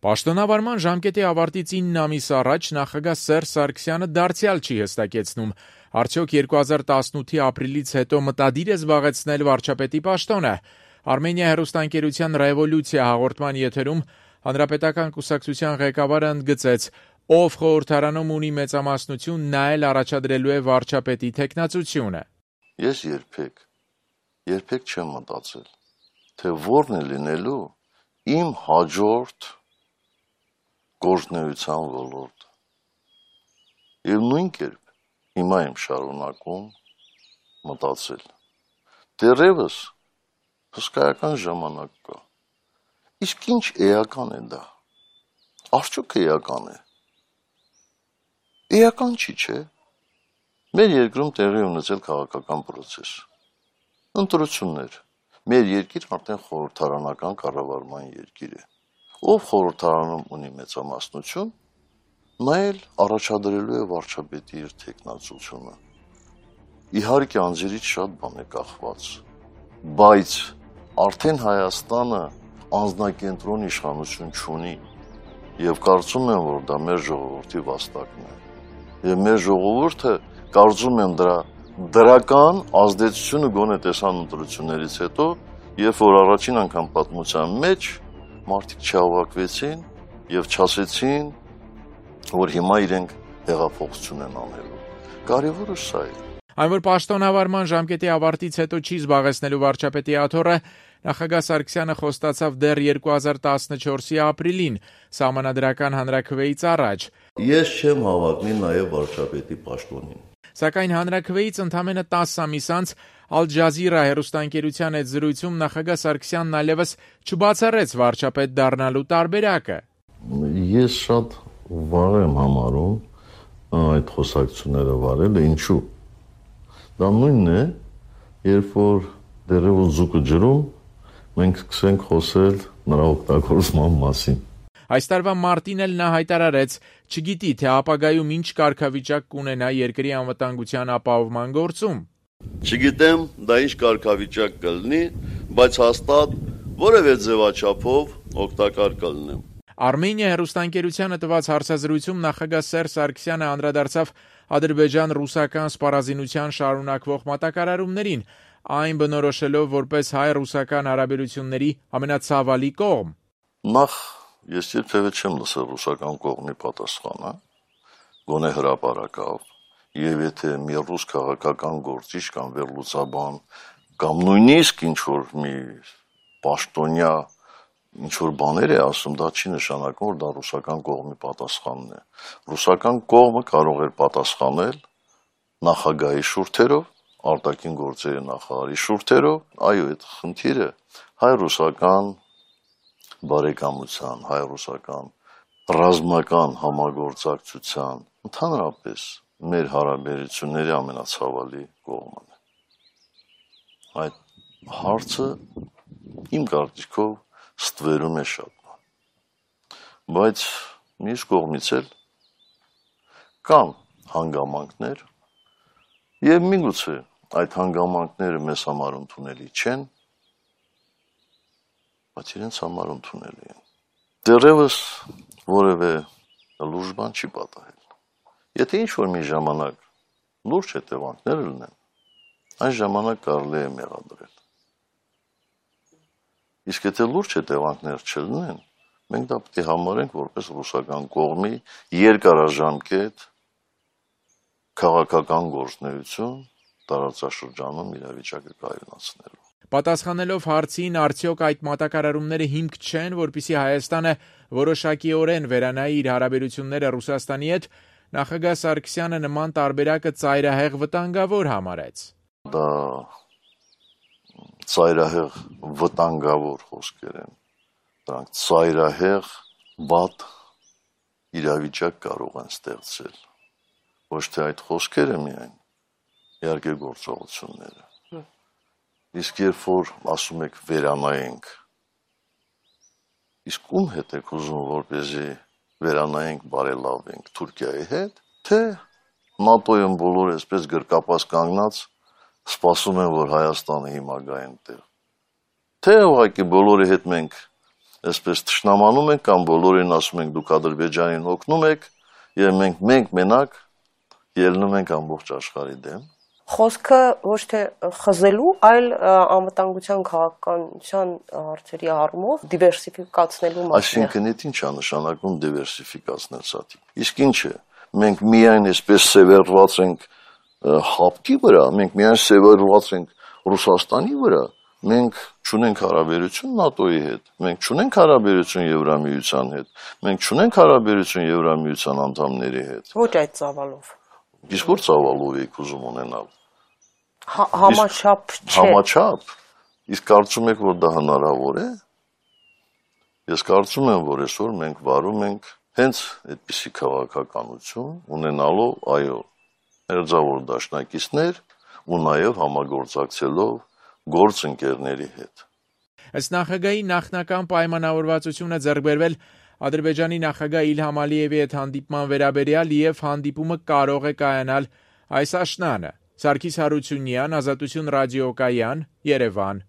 Պաշտոնավարման ժամկետի ավարտից 9 ամիս առաջ նախագահ Սերժ Սարգսյանը դարձյալ չի հստակեցնում, արդյոք 2018-ի ապրիլից հետո մտադիր է զբաղեցնել վարչապետի պաշտոնը։ Արմենիա հեռուստաընկերության «Ռևոլյուցիա» հաղորդման եթերում Հանրապետական կուսակցության ղեկավարը ընդգծեց, ով խորհրդարանում ունի մեծամասնություն, նա էլ առաջադրելու է վարչապետի թեկնածությունը։ Ես երբեք չեմ մտածել, թե որն է լինելու իմ հաջորդ գործունեության ոլորտ։ Եվ նույն կերպ հիմա եմ շարունակում մտածել։ Դեռևս հսկայական ժամանակ կա։ Իսկ ինչ էական է դա։ Արդյոք էական է։ Էական չի, չէ։ Մեր երկրում տեղի ունեցել քաղաքական պրոցես։ Ընտրություններ։ Մեր երկիր արդեն խորհրդարանական կառավարման երկիր է։ Ով խորհրդարանում ունի մեծամասնություն, նա էլ առաջադրելու է վարչապետի իր թեկնածությունը։ Իհարկե անձերից շատ բան է կախված, բայց արդեն Հայաստանը անձնակենտրոն իշխանություն չունի եւ կարծում եմ, որ դա մեր ժողովրդի վաստակն է։ Եվ մեր ժողովուրդը կարծում եմ դրա դրական ազդեցությունը գոնե տեսան ընտրություններից հետո, երբ որ առաջին անգամ պատմության մեջ մարդիկ չհավաքվեցին եւ չասեցին, որ հիմա իրենք հեղափոխություն են անելու։ Կարևորը սա է։ Այն որ պաշտոնավարման ժամկետի ավարտից հետո չի զբաղեցնելու վարչապետի աթոռը, նախագահ Սարգսյանը խոստացավ դեռ 2014-ի ապրիլին, սահմանադրական հանրաքվեից առաջ։ Ես չեմ հավակնի նաեւ վարչապետի պաշտոնին։ Սակայն հանրաքվեից ընդամենը 10 ամիս անց Ալ Ջազիրա հեռուստաընկերության հետ զրույցում նախագահ Սարգսյանն այլևս չբացառեց վարչապետ դառնալու տարբերակը։ Ես շատ վաղ եմ համարում այդ խոսակցությունները վարելը, ինչու։ Դա նույնն է, երբ որ դեռևս ձուկը ջրում, մենք սկսենք խոսել նրա օգտագործման մասին։ Այս տարվա մարտին էլ նա հայտարարեց, չգիտի, թե ապագայում ինչ կարգավիճակ կունենա երկրի անվտանգության ապահովման գործում։ Չգիտեմ, դա ինչ կարգավիճակ կլինի, բայց հաստատ որևէ ձևաչափով օգտակար կլինեմ։ Արմենիա հեռուստաընկերությանը տված հարցազրույցում նախագահ Սերժ Սարգսյանը անդրադարձավ ադրբեջան-ռուսական սպառազինության շարունակվող մատակարարումներին, այն բնորոշելով որպես հայ-ռուսական հարաբերությունների ամենացավալի կողմ։ Նախ ես երբևէ չեմ լսել ռուսական կողմի պատասխանը, գոնե հրապարակավ, եւ եթե մի ռուս քաղաքական գործիչ կամ վերլուծաբան կամ նույնիսկ ինչ-որ մի պաշտոնյա ինչ-որ բաներ է ասում, դա չի նշանակում, որ դա ռուսական կողմի պատասխանն է։ Ռուսական կողմը կարող էր պատասխանել նախագահի շուրթերով, արտաքին գործերի նախարարի շուրթերով, այո, այդ խնդիրը հայ-ռուսական բարեկամության, հայ-ռուսական ռազմական համագործակցության, ընդհանրապես մեր հարաբերությունների ամենացավալի կողմն է։ Այդ հարցը իմ կարծիքով ստվերում է շատ բան։ Բայց մյուս կողմից էլ կան հանգամանքներ եւ միգուցե այդ հանգամանքները մեզ համար ընդունելի չեն, բայց իրենց համար ընդունելի են։ Դեռևս որևէ լուրջ բան չի պատահել։ Եթե ինչ-որ մի ժամանակ լուրջ հետևանքներ լինեն, այն ժամանակ կարելի է մեղադրել։ Իսկ եթե լուրջ հետևանքներ չլինեն, մենք դա պետք է համարենք որպես ռուսական կողմի երկարաժամկետ քաղաքական գործունեություն տարածաշրջանում իրավիճակը կայունացնելու։ Պատասխանելով հարցին, արդյոք այդ մատակարարումները հիմք չեն, որպեսզի Հայաստանը որոշակիորեն վերանայի իր հարաբերությունները Ռուսաստանի հետ, նախագահ Սարգսյանը նման տարբերակը ծայրահեղ վտանգավոր համարեց։ Դա ծայրահեղ վտանգավոր խոսքեր են։ Դրանք ծայրահեղ վատ իրավիճակ կարող են ստեղծել։ Ոչ թե այդ խոսքերը միայն, իհարկե գործողությունները։ Իսկ երբ որ ասում եք վերանայենք, իսկ ում հետ եք ուզում, որպեսզի վերանայենք, բարելավենք Թուրքիայի հետ, թե ՆԱՏՕ-ում բոլորը այսպես գրկապած կանգնած սպասում են, որ Հայաստանը հիմա գա այնտեղ, թե ուղղակի բոլորի հետ մենք այսպես թշնամանում ենք կամ բոլորին ասում ենք դուք Ադրբեջանին օգնում եք եւ մենք մենակ ելնում ենք ամբողջ աշխարհի դեմ։ Խոսքը ոչ թե խզելու, այլ անվտանգության քաղաքականության հարցերի առումով դիվերսիֆիկացնելու մասին։ Այսինքն ինչ է նշանակում դիվերսիֆիկացնել սա։ Իսկ ինչ է։ Մենք միայն այսպես սևեռված ենք հապկի վրա, մենք միայն սևեռված ենք Ռուսաստանի վրա, մենք չունենք հարաբերություն ՆԱՏՕ-ի հետ, մենք չունենք հարաբերություն Եվրամիության հետ, մենք չունենք հարաբերություն Եվրամիության անդամների հետ։ Ոչ այդ ծավալով։ Իսկ որ ծավալով եք ուզում ունենալ։ Համաչափ չէ։ Համաչափ։ Իսկ կարծում եք, որ դա հնարավոր է։ Ես կարծում եմ, որ այսօր մենք վարում ենք հենց այդպիսի քաղաքականություն ունենալով, այո, մերձավոր դաշնակիցներ ու նաև համագործակցելով գործընկերների հետ։ Ըստ նախագահի նախնական պայմանավորվածությունը ձեռք բերվել Ադրբեջանի նախագահ Իլհամ Ալիևի հետ հանդիպման վերաբերյալ եւ հանդիպումը կարող է կայանալ այս աշնանը։ Սարգիս Հարությունյան, Ազատություն ռադիոկայան, Երևան։